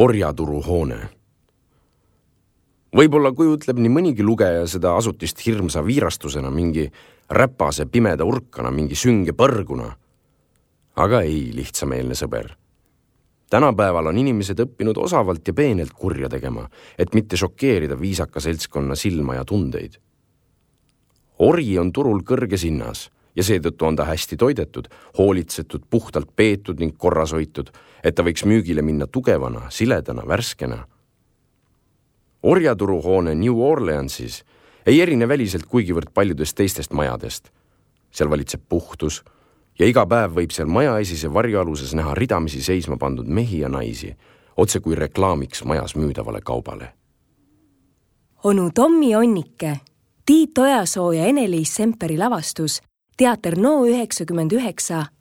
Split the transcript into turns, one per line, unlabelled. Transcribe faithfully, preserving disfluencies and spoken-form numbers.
orjaturuhoone. Võib-olla kujutleb nii mõnigi lugeja seda asutist hirmsa viirastusena, mingi räpase pimeda urkana, mingi sünge põrguna. Aga ei, lihtsameelne sõber. Tänapäeval on inimesed õppinud osavalt ja peenelt kurja tegema, et mitte šokeerida viisaka seltskonna silma ja tundeid. Orji on turul kõrges hinnas ja seetõttu on ta hästi toidetud, hoolitsetud, puhtalt peetud ning korras hoitud, et ta võiks müügile minna tugevana, siledana, värskena. Orjaturuhoone New Orleansis ei erine väliselt kuigivõrd paljudest teistest majadest. Seal valitseb puhtus ja iga päev võib seal maja esise varjualuses näha ridamisi seisma pandud mehi ja naisi, otse kui reklaamiks majas müüdavale kaubale.
Onu Tommi Onnike, Tiit Ojasoo ja Ene-Liis Semperi lavastus, teater No üheksakümmend üheksa